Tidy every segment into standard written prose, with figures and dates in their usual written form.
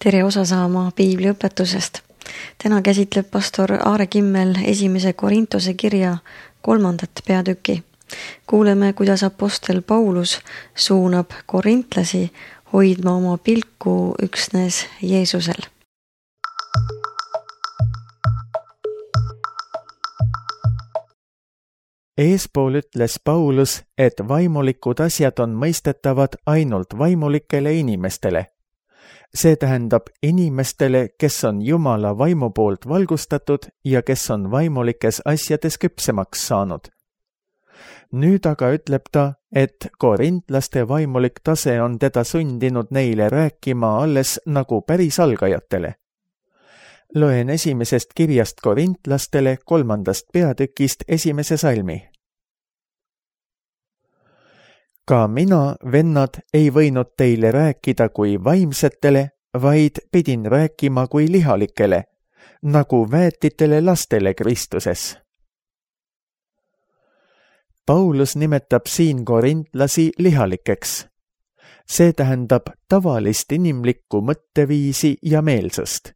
Tere osa saama piibliõpetusest. Täna käsitleb pastor Aare Kimmel 1. Korintuse kirja 3. peatüki. Kuuleme, kuidas apostel Paulus suunab korintlasi hoidma oma pilku üksnes Jeesusel. Eespool ütles Paulus, et vaimulikud asjad on mõistetavad ainult vaimulikele inimestele. See tähendab inimestele, kes on Jumala vaimu poolt valgustatud ja kes on vaimulikes asjades küpsemaks saanud. Nüüd aga ütleb ta, et korintlaste vaimulik tase on teda sundinud neile rääkima alles nagu päris algajatele. Loen 1. kirjast korintlastele 3. peatükist 1. salmi. Ka mina, vennad, ei võinud teile rääkida kui vaimsetele, vaid pidin rääkima kui lihalikele, nagu väetitele lastele Kristuses. Paulus nimetab siin korintlasi lihalikeks. See tähendab tavalist inimlikku mõtteviisi ja meelsust.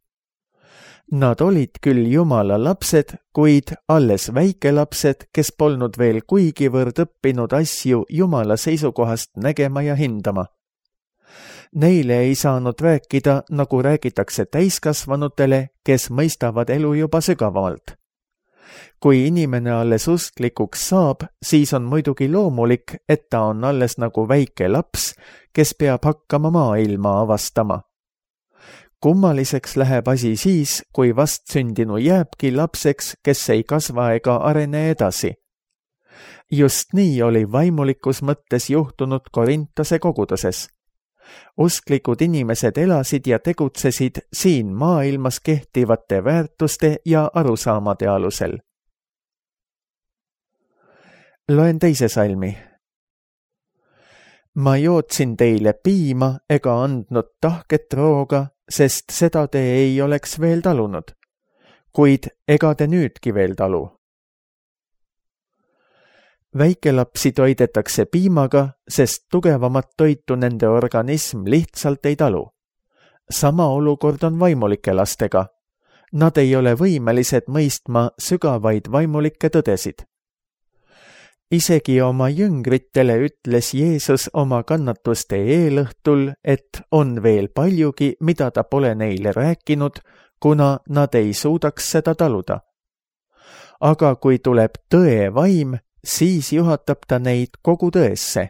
Nad olid küll Jumala lapsed, kuid alles väikelapsed, kes polnud veel kuigivõrd õppinud asju Jumala seisukohast nägema ja hindama. Neile ei saanud rääkida, nagu räägitakse täiskasvanutele, kes mõistavad elu juba sügavamalt. Kui inimene alles usklikuks saab, siis on muidugi loomulik, et ta on alles nagu väike laps, kes peab hakkama maailma avastama. Kummaliseks läheb asi siis, kui vastsündinu jääbki lapseks, kes ei kasva ega arene edasi. Just nii oli vaimulikus mõttes juhtunud Korintuse koguduses. Usklikud inimesed elasid ja tegutsesid siin maailmas kehtivate väärtuste ja arusaamade alusel. Loen 2. salmi. Ma jootsin teile piima ega andnud tahket rooga, sest seda te ei oleks veel talunud, kuid ega te nüüdki veel talu. Väikelapsi toidetakse piimaga, sest tugevamat toitu nende organism lihtsalt ei talu. Sama olukord on vaimulike lastega. Nad ei ole võimelised mõistma sügavaid vaimulikke tõdesid. Isegi oma jüngritele ütles Jeesus oma kannatuste eelõhtul, et on veel paljugi, mida ta pole neile rääkinud, kuna nad ei suudaks seda taluda. Aga kui tuleb tõe vaim, siis juhatab ta neid kogu tõesse.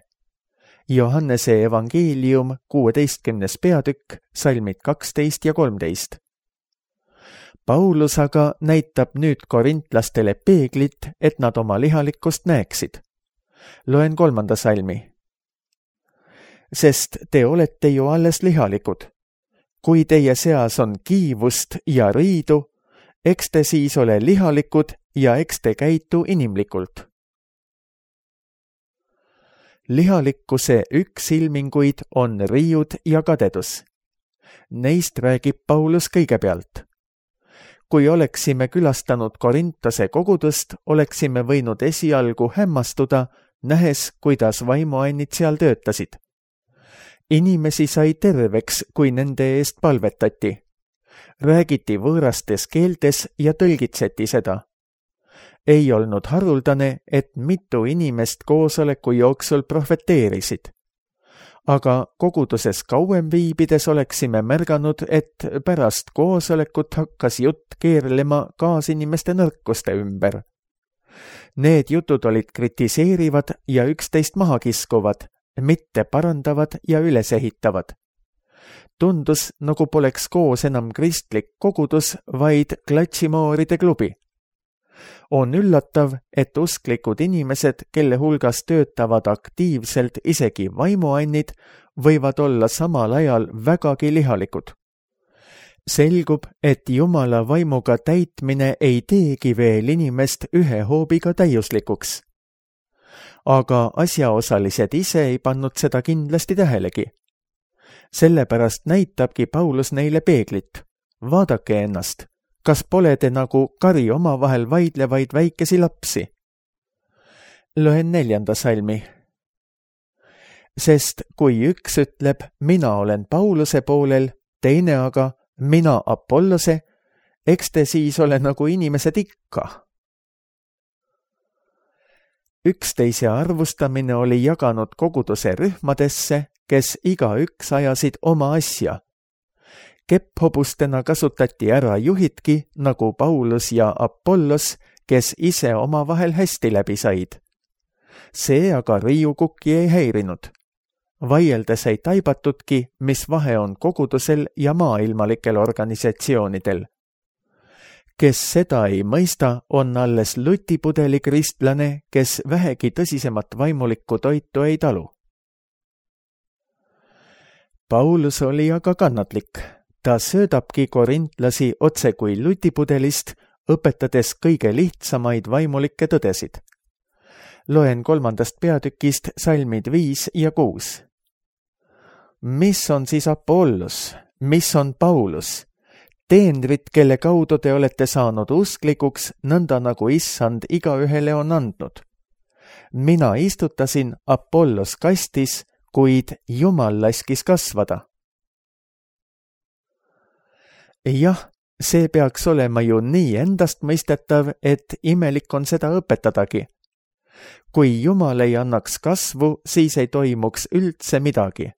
Johannese evangeelium 16. peatükk, salmid 12 ja 13. Paulus aga näitab nüüd korintlastele peeglit, et nad oma lihalikkust näeksid. Loen 3. salmi. Sest te olete ju alles lihalikud. Kui teie seas on kiivust ja riidu, eks te siis ole lihalikud ja eks te käitu inimlikult. Lihalikkuse üks ilminguid on riiud ja kadedus. Neist räägib Paulus kõigepealt. Kui oleksime külastanud Korintuse kogudust, oleksime võinud esialgu hämmastuda, nähes, kuidas vaimuannid seal töötasid. Inimesi sai terveks, kui nende eest palvetati. Räägiti võõrastes keeltes ja tõlgitseti seda. Ei olnud haruldane, et mitu inimest koosoleku jooksul profeteerisid. Aga koguduses kauem viibides oleksime märganud, et pärast koosolekut hakkas jutt keerlema kaasinimeste nõrkuste ümber. Need jutud olid kritiseerivad ja üksteist maha kiskuvad, mitte parandavad ja ülesehitavad. Tundus, nagu poleks koos enam kristlik kogudus, vaid klatšimooride klubi. On üllatav, et usklikud inimesed, kelle hulgas töötavad aktiivselt isegi vaimuannid, võivad olla samal ajal vägagi lihalikud. Selgub, et Jumala vaimuga täitmine ei teegi veel inimest ühe hoobiga täiuslikuks. Aga asjaosalised ise ei pannud seda kindlasti tähelegi. Sellepärast näitabki Paulus neile peeglit. Vaadake ennast. Kas pole te nagu kari omavahel vaidlevaid väikesi lapsi? Loen 4. salmi. Sest kui üks ütleb, mina olen Pauluse poolel, teine aga, mina Apollose, eks te siis ole nagu inimesed ikka. Üksteise arvustamine oli jaganud koguduse rühmadesse, kes igaüks ajasid oma asja. Kepphobustena kasutati ära juhidki nagu Paulus ja Apollos, kes ise omavahel hästi läbi said. See aga riiukukki ei häirinud. Vaieldes ei taibatudki, mis vahe on kogudusel ja maailmalikel organisatsioonidel. Kes seda ei mõista, on alles lutipudeli kristlane, kes vähegi tõsisemat vaimulikku toitu ei talu. Paulus oli aga kannatlik. Ta söödabki korintlasi otse kui lutipudelist, õpetades kõige lihtsamaid vaimulikke tõdesid. Loen 3. peatükist salmid 5 ja 6. Mis on siis Apollos? Mis on Paulus? Teenrid, kelle kaudu te olete saanud usklikuks, nõnda nagu issand igaühele on andnud. Mina istutasin, Apollos kastis, kuid Jumal laskis kasvada. Jah, see peaks olema ju nii endastmõistetav, et imelik on seda õpetadagi. Kui Jumal ei annaks kasvu, siis ei toimuks üldse midagi.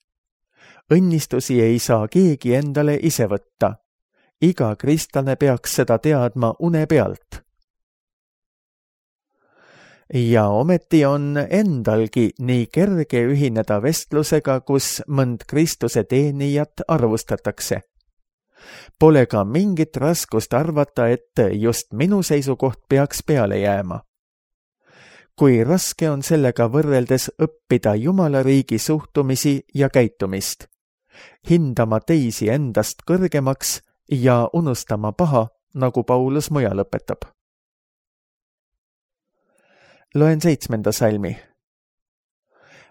Õnnistusi ei saa keegi endale ise võtta. Iga kristlane peaks seda teadma une pealt. Ja ometi on endalgi nii kerge ühineda vestlusega, kus mõnd Kristuse teenijat arvustatakse. Pole ka mingit raskust arvata, et just minu seisukoht peaks peale jääma. Kui raske on sellega võrreldes õppida Jumala riigi suhtumisi ja käitumist, hindama teisi endast kõrgemaks ja unustama paha, nagu Paulus mujal õpetab. Loen 7. salmi.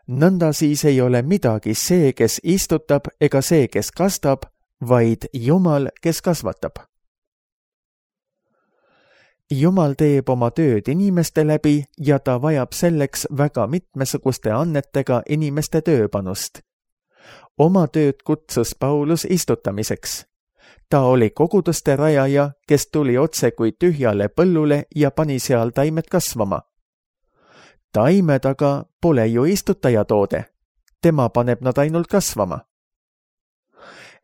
Nõnda siis ei ole midagi see, kes istutab, ega see, kes kastab, vaid Jumal, kes kasvatab. Jumal teeb oma tööd inimeste läbi ja ta vajab selleks väga mitmesuguste annetega inimeste tööpanust. Oma tööd kutsus Paulus istutamiseks. Ta oli koguduste rajaja, kes tuli otse kui tühjale põllule ja pani seal taimed kasvama. Taimed aga pole ju istutaja toode. Tema paneb nad ainult kasvama.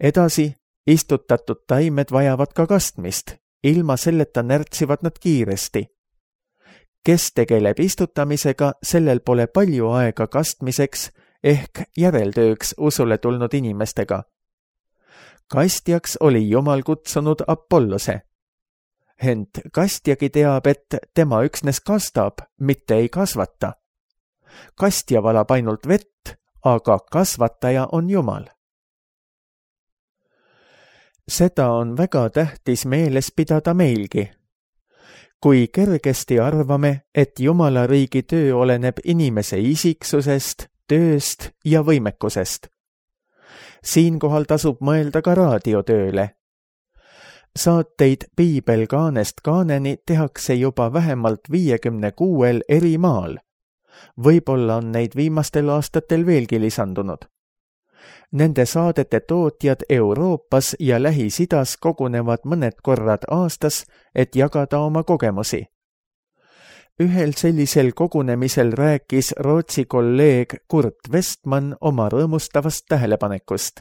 Edasi, istutatud taimed vajavad ka kastmist. Ilma selleta närtsivad nad kiiresti. Kes tegeleb istutamisega, sellel pole palju aega kastmiseks ehk järeltööks usule tulnud inimestega. Kastjaks oli Jumal kutsunud Apollose. Ent kastjagi teab, et tema üksnes kastab, mitte ei kasvata. Kastja valab ainult vett, aga kasvataja on Jumal. Seda on väga tähtis meeles pidada meilgi. Kui kergesti arvame, et Jumala riigi töö oleneb inimese isiksusest, tööst ja võimekusest. Siinkohal tasub mõelda ka raadiotööle. Saateid Piibel kaanest kaaneni tehakse juba vähemalt 56 eri maal. Võib-olla on neid viimastel aastatel veelgi lisandunud. Nende saadete tootjad Euroopas ja Lähis-Idas kogunevad mõned korrad aastas, et jagada oma kogemusi. Ühel sellisel kogunemisel rääkis Rootsi kolleeg Kurt Westman oma rõõmustavast tähelepanekust.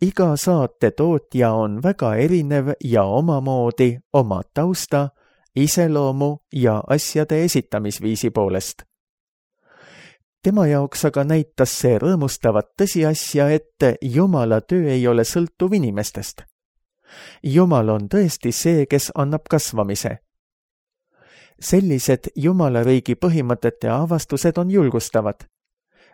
Iga saate tootja on väga erinev ja omamoodi oma tausta, iseloomu ja asjade esitamisviisi poolest. Tema jaoks aga näitas see rõõmustavat tõsiasja, et Jumala töö ei ole sõltuv inimestest. Jumal on tõesti see, kes annab kasvamise. Sellised Jumala riigi põhimõtete avastused on julgustavad.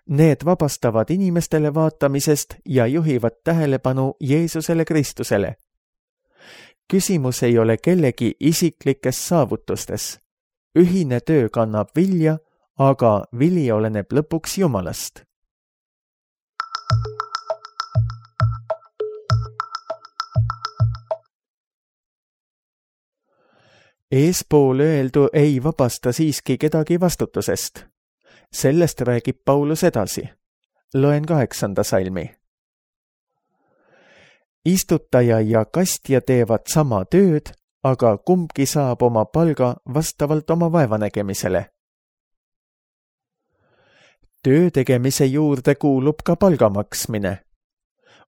Need vabastavad inimestele vaatamisest ja juhivad tähelepanu Jeesusele Kristusele. Küsimus ei ole kellegi isiklikes saavutustes. Ühine töö kannab vilja, aga vili oleneb lõpuks Jumalast. Eespool öeldu ei vabasta siiski kedagi vastutusest. Sellest räägib Paulus edasi. Loen 8. salmi. istutaja ja kastja teevad sama tööd, aga kumbki saab oma palga vastavalt oma vaevanägemisele. Töö tegemise juurde kuulub ka palga maksmine.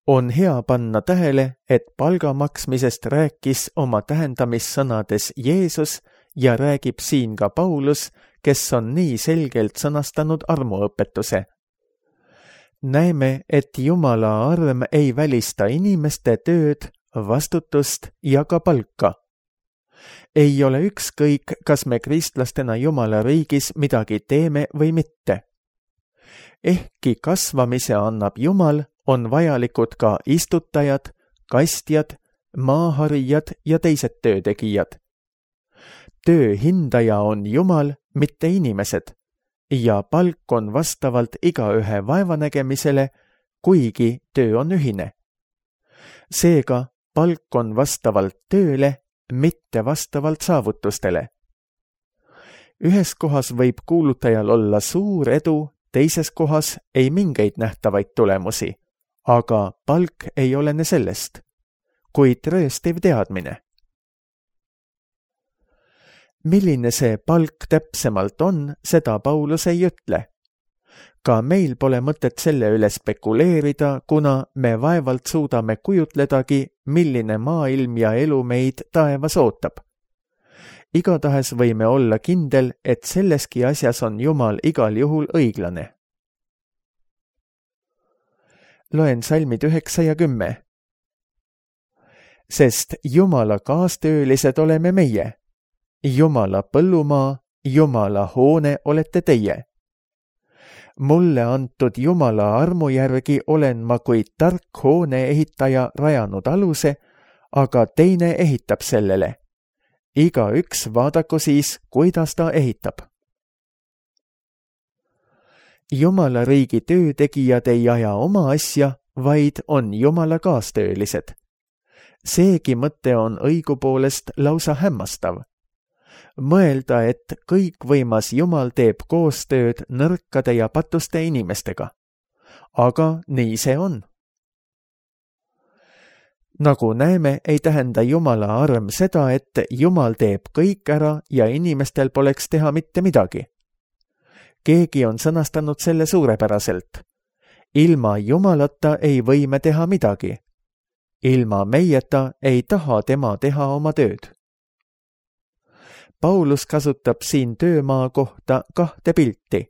On hea panna tähele, et palga maksmisest rääkis oma tähendamissõnades Jeesus ja räägib siin ka Paulus, kes on nii selgelt sõnastanud armuõpetuse. Näeme, et Jumala arm ei välista inimeste tööd, vastutust ja ka palka. Ei ole ükskõik, kas me kristlastena Jumala riigis midagi teeme või mitte. Ehkki kasvamise annab Jumal, on vajalikud ka istutajad, kastjad, maaharijad ja teised töötegijad. Töö hindaja on Jumal, mitte inimesed, ja palk on vastavalt igaühe vaevanägemisele, kuigi töö on ühine. Seega palk on vastavalt tööle, mitte vastavalt saavutustele. Ühes kohas võib kuulutajal olla suur edu, teises kohas ei mingeid nähtavaid tulemusi, aga palk ei olene sellest, kuid rööstiv teadmine. Milline see palk täpsemalt on, seda Paulus ei ütle. Ka meil pole mõtet selle üle spekuleerida, kuna me vaevalt suudame kujutledagi, milline maailm ja elu meid taevas ootab. Igatahes võime olla kindel, et selleski asjas on Jumal igal juhul õiglane. Loen salmid 9 ja 10. Sest Jumala kaastöölised oleme meie. Jumala põllumaa, Jumala hoone olete teie. Mulle antud Jumala armu järgi olen ma kui tark hoone ehitaja rajanud aluse, aga teine ehitab sellele. Igaüks vaadaku siis, kuidas ta ehitab. Jumala riigi töötegijad ei aja oma asja, vaid on Jumala kaastöölised. Seegi mõte on õigupoolest lausa hämmastav. Mõelda, et kõikvõimas Jumal teeb koostööd nõrkade ja patuste inimestega. Aga nii see on. Nagu näeme, ei tähenda Jumala arm seda, et Jumal teeb kõik ära ja inimestel poleks teha mitte midagi. Keegi on sõnastanud selle suurepäraselt. Ilma Jumalata ei või me teha midagi. Ilma meieta ei taha tema teha oma tööd. Paulus kasutab siin töömaa kohta 2 pilti,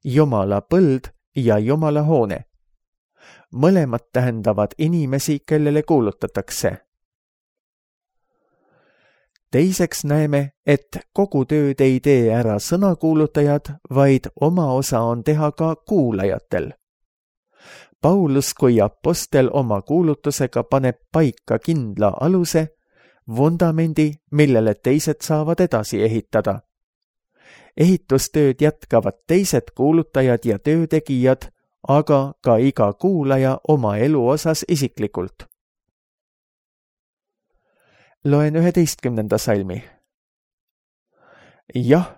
Jumala põld ja Jumala hoone. Mõlemad tähendavad inimesi, kellele kuulutatakse. Teiseks näeme, et kogu tööd ei tee ära sõnakuulutajad, vaid oma osa on teha ka kuulajatel. Paulus kui apostel oma kuulutusega paneb paika kindla aluse, vundamendi, millele teised saavad edasi ehitada. Ehitustööd jätkavad teised kuulutajad ja töötegijad, aga ka iga kuulaja oma elu osas isiklikult. Loen 11. salmi. Jah,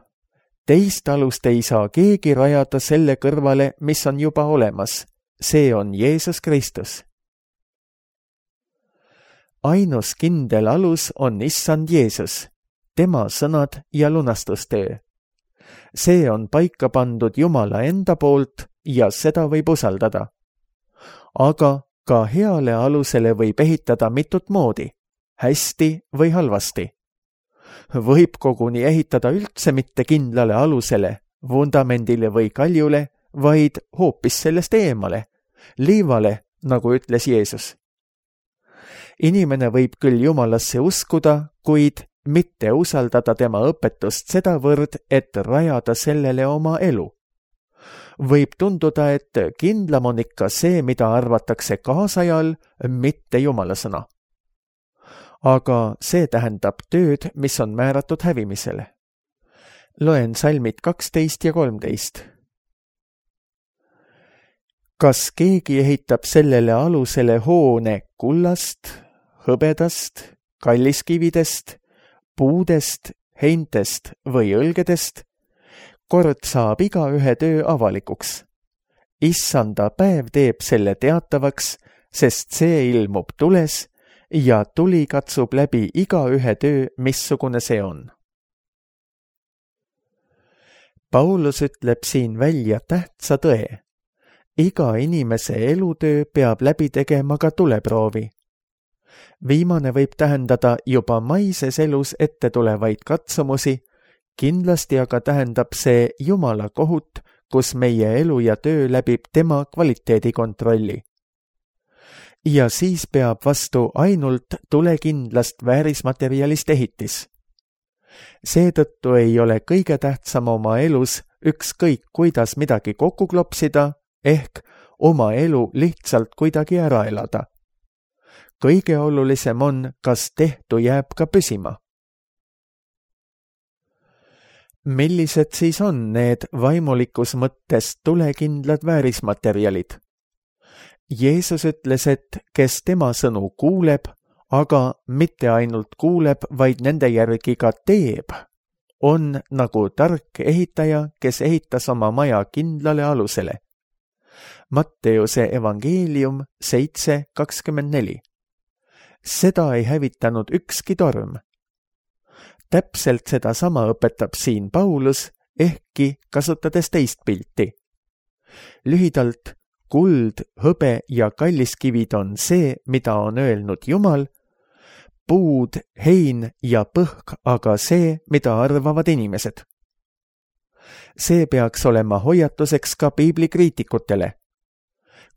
teist alust ei saa keegi rajada selle kõrvale, mis on juba olemas. See on Jeesus Kristus. Ainus kindel alus on Issand Jeesus, tema sõnad ja lunastustöö. See on paika pandud Jumala enda poolt ja seda võib usaldada. Aga ka heale alusele võib ehitada mitut moodi, hästi või halvasti. Võib koguni ehitada üldse mitte kindlale alusele, vundamendile või kaljule, vaid hoopis sellest eemale, liivale, nagu ütles Jeesus. Inimene võib küll Jumalasse uskuda, kuid mitte usaldada tema õpetust sedavõrd, et rajada sellele oma elu. Võib tunduda, et kindlam on ikka see, mida arvatakse kaasajal, mitte Jumala sõna. Aga see tähendab tööd, mis on määratud hävimisele. Loen salmid 12 ja 13. Kas keegi ehitab sellele alusele hoone kullast, hõbedast, kalliskividest, puudest, heintest või õlgedest, kord saab igaühe töö avalikuks. Issanda päev teeb selle teatavaks, sest see ilmub tules ja tuli katsub läbi igaühe töö, missugune see on. Paulus ütleb siin välja tähtsa tõe. Iga inimese elutöö peab läbi tegema ka tuleproovi. Viimane võib tähendada juba maises elus ette tulevaid katsumusi, kindlasti aga tähendab see Jumala kohut, kus meie elu ja töö läbib tema kvaliteedikontrolli. Ja siis peab vastu ainult tulekindlast väärismaterjalist ehitis. Seetõttu ei ole kõige tähtsam oma elus ükskõik kuidas midagi kokku klopsida, ehk oma elu lihtsalt kuidagi ära elada. Kõige olulisem on, kas tehtu jääb ka püsima. Millised siis on need vaimulikus mõttes tulekindlad väärismaterjalid? Jeesus ütles, et kes tema sõnu kuuleb, aga mitte ainult kuuleb, vaid nende järgi ka teeb, on nagu tark ehitaja, kes ehitas oma maja kindlale alusele. Matteuse evangeelium 7:24. Seda ei hävitanud ükski torm. Täpselt sedasama õpetab siin Paulus, ehkki kasutades teist pilti. Lühidalt, kuld, hõbe ja kalliskivid on see, mida on öelnud Jumal, puud, hein ja põhk aga see, mida arvavad inimesed. See peaks olema hoiatuseks ka piiblikriitikutele.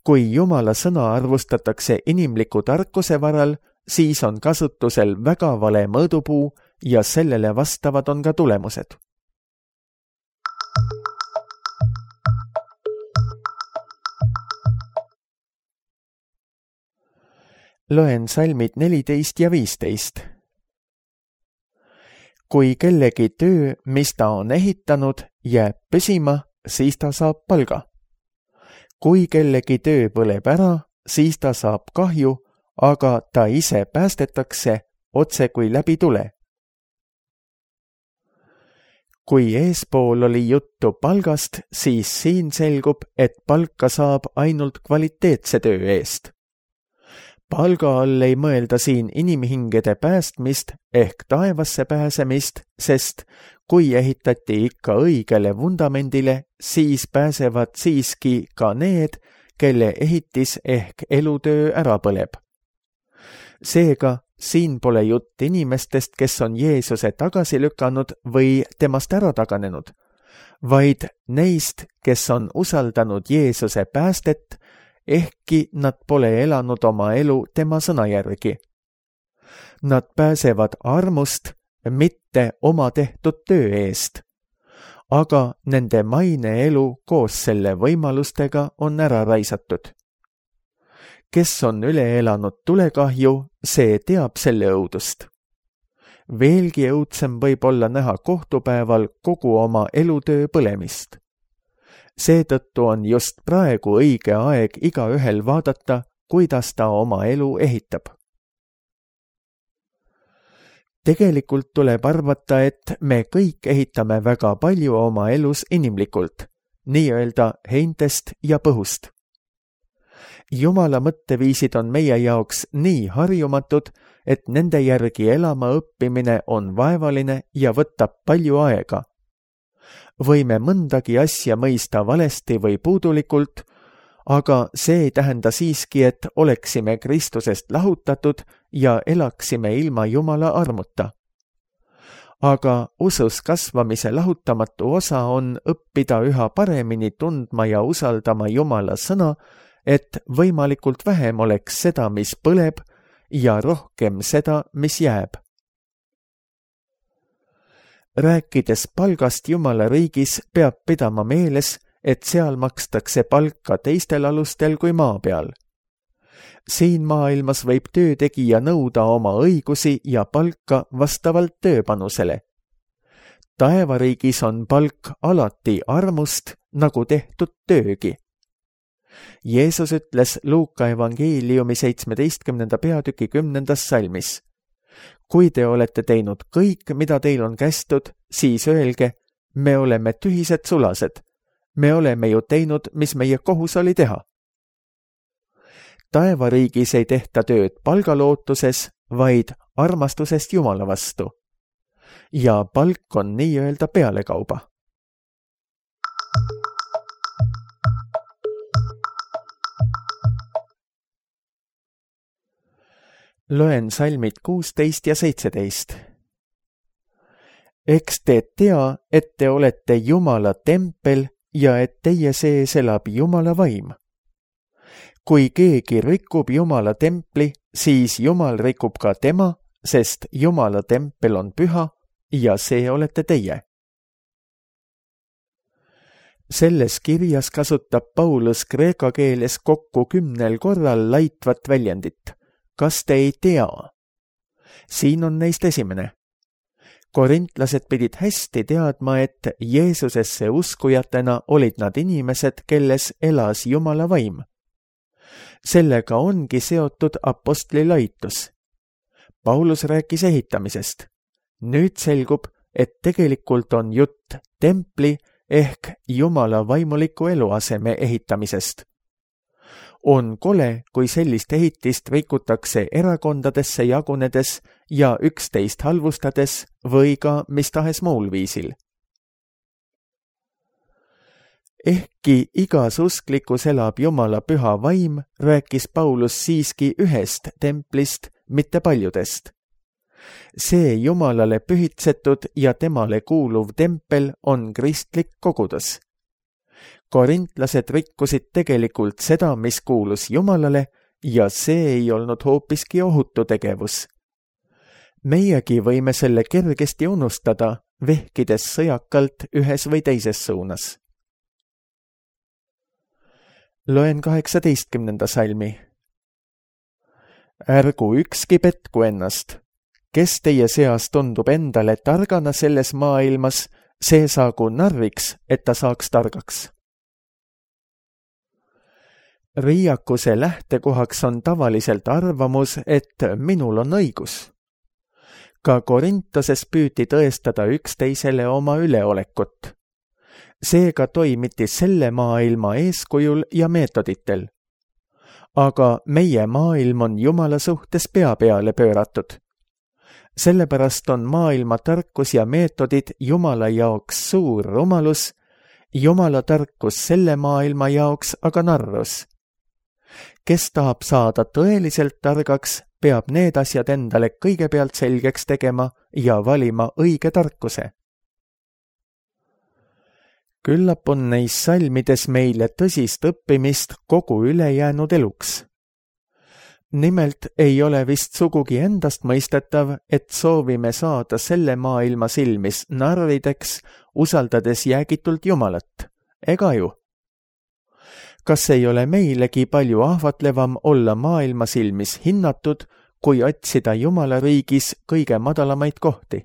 Kui Jumala sõna arvustatakse inimliku tarkuse varal, siis on kasutusel väga vale mõõdupuu ja sellele vastavad on ka tulemused. Loen salmid 14 ja 15. Kui kellegi töö, mis ta on ehitanud, jääb püsima, siis ta saab palga. Kui kellegi töö põleb ära, siis ta saab kahju, aga ta ise päästetakse otse kui läbi tule. Kui eespool oli juttu palgast, siis siin selgub, et palka saab ainult kvaliteetse töö eest. Palga all ei mõelda siin inimhingede päästmist ehk taevasse pääsemist, sest kui ehitati ikka õigele vundamendile, siis pääsevad siiski ka need, kelle ehitis ehk elutöö ära põleb. Seega, siin pole jutt inimestest, kes on Jeesuse tagasi lükanud või temast ära taganenud, vaid neist, kes on usaldanud Jeesuse päästet, ehkki nad pole elanud oma elu tema sõna järgi. Nad pääsevad armust, mitte oma tehtud töö eest, aga nende maine elu koos selle võimalustega on ära raisatud. Kes on üle elanud tulekahju, see teab selle õudust. Veelgi õudsem võib olla näha kohtupäeval kogu oma elutöö põlemist. Seetõttu on just praegu õige aeg igaühel vaadata, kuidas ta oma elu ehitab. Tegelikult tuleb arvata, et me kõik ehitame väga palju oma elus inimlikult, nii-öelda heintest ja põhust. Jumala mõtteviisid on meie jaoks nii harjumatud, et nende järgi elama õppimine on vaevaline ja võtab palju aega. Võime mõndagi asja mõista valesti või puudulikult, aga see ei tähenda siiski, et oleksime Kristusest lahutatud ja elaksime ilma Jumala armuta. Aga usus kasvamise lahutamatu osa on õppida üha paremini tundma ja usaldama Jumala sõna, et võimalikult vähem oleks seda, mis põleb, ja rohkem seda, mis jääb. Rääkides palgast Jumala riigis, peab pidama meeles, et seal makstakse palka teistel alustel kui maa peal. Siin maailmas võib töötegija nõuda oma õigusi ja palka vastavalt tööpanusele. Taevariigis on palk alati armust, nagu tehtud töögi. Jeesus ütles Luuka evangeeliumi 17. peatüki 10. salmis. Kui te olete teinud kõik, mida teil on kästud, siis öelge, me oleme tühised sulased. Me oleme ju teinud, mis meie kohus oli teha. taevariigis ei tehta tööd palgalootuses, vaid armastusest Jumala vastu. Ja palk on nii-öelda pealekauba. Loen salmid 16 ja 17. Eks te tea, et te olete Jumala tempel ja et teie sees elab Jumala vaim. Kui keegi rikub Jumala templi, siis Jumal rikub ka tema, sest Jumala tempel on püha ja see olete teie. Selles kirjas kasutab Paulus kreeka keeles kokku 10 korral laitvat väljendit. Kas te ei tea? Siin on neist esimene. Korintlased pidid hästi teadma, et Jeesusesse uskujatena olid nad inimesed, kelles elas Jumala vaim. Sellega ongi seotud apostli laitus. Paulus rääkis ehitamisest. Nüüd selgub, et tegelikult on jutt templi ehk Jumala vaimuliku eluaseme ehitamisest. On kole, kui sellist ehitist rikutakse erakondadesse jagunedes ja üksteist halvustades või ka mis tahes muul viisil. Ehkki igas usklikus elab Jumala püha vaim, rääkis Paulus siiski ühest templist, mitte paljudest. See Jumalale pühitsetud ja temale kuuluv tempel on kristlik kogudus. Korintlased rikkusid tegelikult seda, mis kuulus Jumalale, ja see ei olnud hoopiski ohutu tegevus. Meiegi võime selle kergesti unustada, vehkides sõjakalt ühes või teises suunas. Loen 18. salmi. Ärgu ükski petku ennast. Kes teie seas tundub endale targana selles maailmas, see saagu narriks, et ta saaks targaks. Riiakuse lähtekohaks on tavaliselt arvamus, et minul on õigus. Ka Korintoses püüti tõestada üksteisele oma üleolekut. Seega toimiti selle maailma eeskujul ja meetoditel. Aga meie maailm on Jumala suhtes pea peale pööratud. Sellepärast on maailma tarkus ja meetodid Jumala jaoks suur rumalus, Jumala tarkus selle maailma jaoks aga narrus. Kes tahab saada tõeliselt targaks, peab need asjad endale kõigepealt selgeks tegema ja valima õige tarkuse. Küllap on neis salmides meile tõsist õppimist kogu ülejäänud eluks. Nimelt ei ole vist sugugi endast mõistetav, et soovime saada selle maailma silmis narrideks, usaldades jäägitult Jumalat. Ega ju? Kas ei ole meilegi palju ahvatlevam olla maailma silmis hinnatud, kui otsida Jumala riigis kõige madalamaid kohti?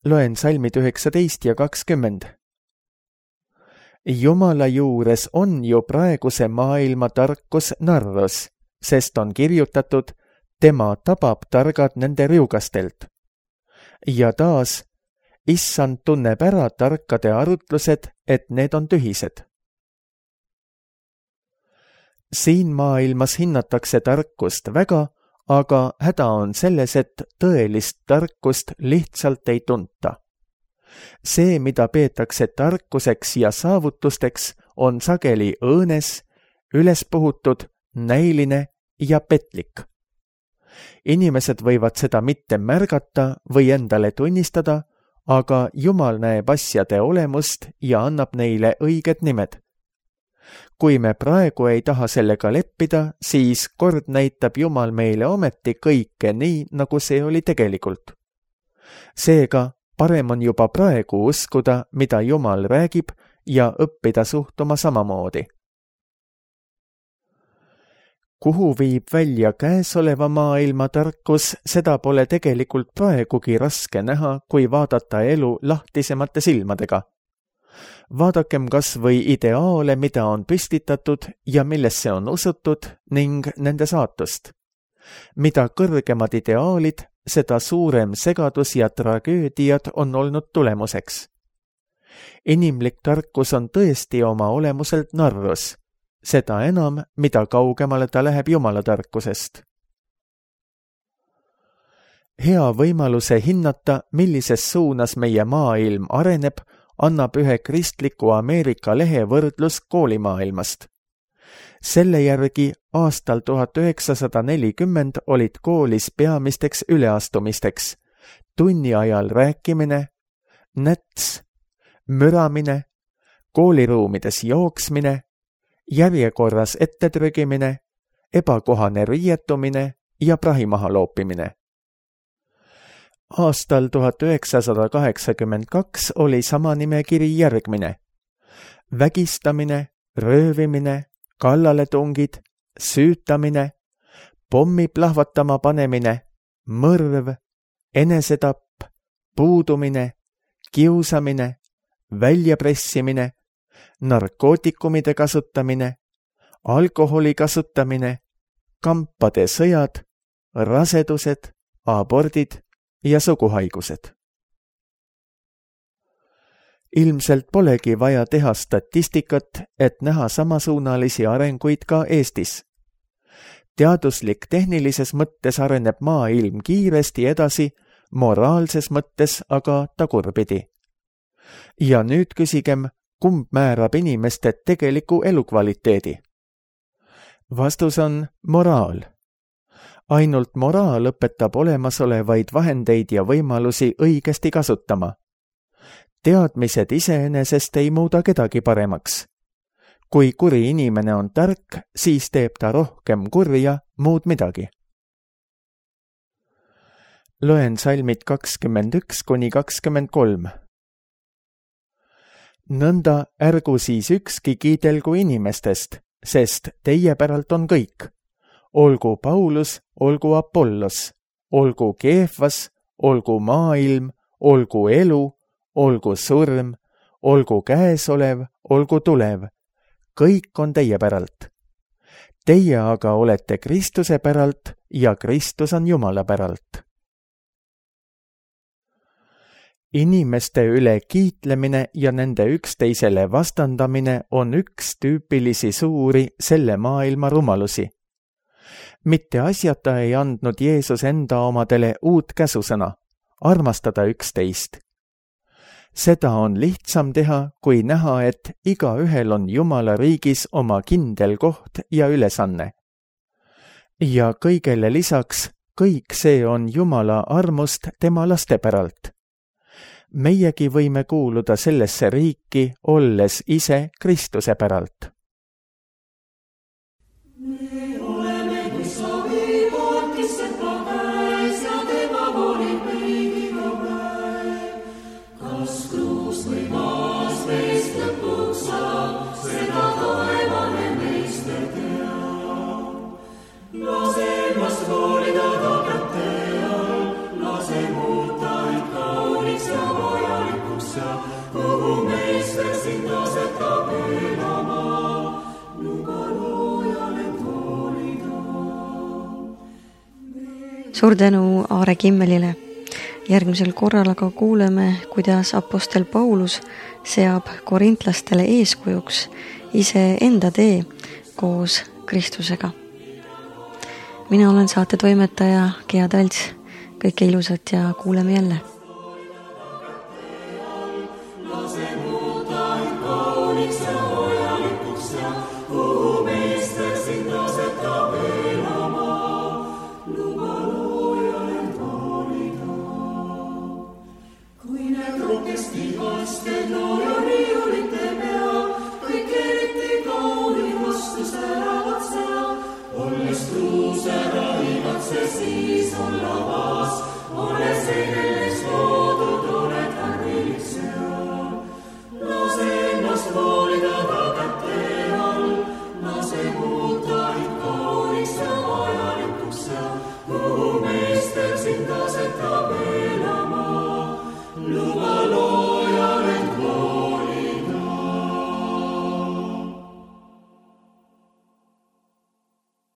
Loen salmid 19 ja 20. Jumala juures on ju praeguse maailma tarkus narrus, sest on kirjutatud, tema tabab targad nende riugastelt. Ja taas, Issand tunneb ära tarkade arutlused, et need on tühised. Siin maailmas hinnatakse tarkust väga, aga häda on selles, et tõelist tarkust lihtsalt ei tunta. See, mida peetakse tarkuseks ja saavutusteks, on sageli õõnes, ülespuhutud, näiline ja petlik. Inimesed võivad seda mitte märgata või endale tunnistada, aga Jumal näeb asjade olemust ja annab neile õiged nimed. Kui me praegu ei taha sellega leppida, siis kord näitab Jumal meile ometi kõike nii, nagu see oli tegelikult. Seega, parem on juba praegu uskuda, mida Jumal räägib ja õppida suhtuma samamoodi. Kuhu viib välja käesoleva maailma tarkus, seda pole tegelikult praegugi raske näha, kui vaadata elu lahtisemate silmadega. Vaadakem kas või ideaale, mida on püstitatud ja millesse on usutud ning nende saatust. Mida kõrgemad ideaalid, seda suurem segadus ja tragöödiad on olnud tulemuseks. Inimlik tarkus on tõesti oma olemuselt narrus. seda enam, mida kaugemale ta läheb Jumala tarkusest. Hea võimaluse hinnata, millises suunas meie maailm areneb, annab ühe kristliku Ameerika lehe võrdlus koolimaailmast. Selle järgi aastal 1940 olid koolis peamisteks üleastumisteks tunni ajal rääkimine, näts, müramine, kooliruumides jooksmine, järjekorras ettetrügimine, ebakohane riietumine ja prahi maha loopimine. Aastal 1982 oli sama nimekiri järgmine: vägistamine, röövimine, kallaletungid, süütamine, pommi plahvatama panemine, mõrv, enesetapp, puudumine, kiusamine, väljapressimine, narkootikumide kasutamine, alkoholi kasutamine, kampade sõjad, rasedused, abordid ja suguhaigused. Ilmselt polegi vaja teha statistikat, et näha samasuunalisi arenguid ka Eestis. Teaduslik-tehnilises mõttes areneb maailm kiiresti edasi, moraalses mõttes aga tagurpidi. Ja nüüd küsigem, kumb määrab inimeste tegeliku elukvaliteedi? Vastus on moraal. Ainult moraal õpetab olemasolevaid vahendeid ja võimalusi õigesti kasutama. Teadmised iseenesest ei muuda kedagi paremaks. Kui kuri inimene on tark, siis teeb ta rohkem kurja, muud midagi. Loen salmid 21–23. Nõnda ärgu siis ükski kiidelgu inimestest, sest teie päralt on kõik. Olgu Paulus, olgu Apollos, olgu Keefas, olgu maailm, olgu elu, olgu surm, olgu käesolev, olgu tulev. Kõik on teie päralt. Teie aga olete Kristuse päralt ja Kristus on Jumala päralt. Inimeste üle kiitlemine ja nende üksteisele vastandamine on üks tüüpilisi suuri selle maailma rumalusi. Mitte asjata ei andnud Jeesus enda omadele uut käsusõna, armastada üksteist. Seda on lihtsam teha, kui näha, et igaühel on Jumala riigis oma kindel koht ja ülesanne. Ja kõigele lisaks, kõik see on Jumala armust tema laste päralt. Meiegi võime kuuluda sellesse riiki, olles ise Kristuse päralt. Suur tänu Aare Kimmelile. Järgmisel korral aga kuuleme, kuidas apostel Paulus seab korintlastele eeskujuks iseenda tee koos Kristusega. Mina olen saate toimetaja Gea Talts. Kõike ilusat ja kuuleme jälle.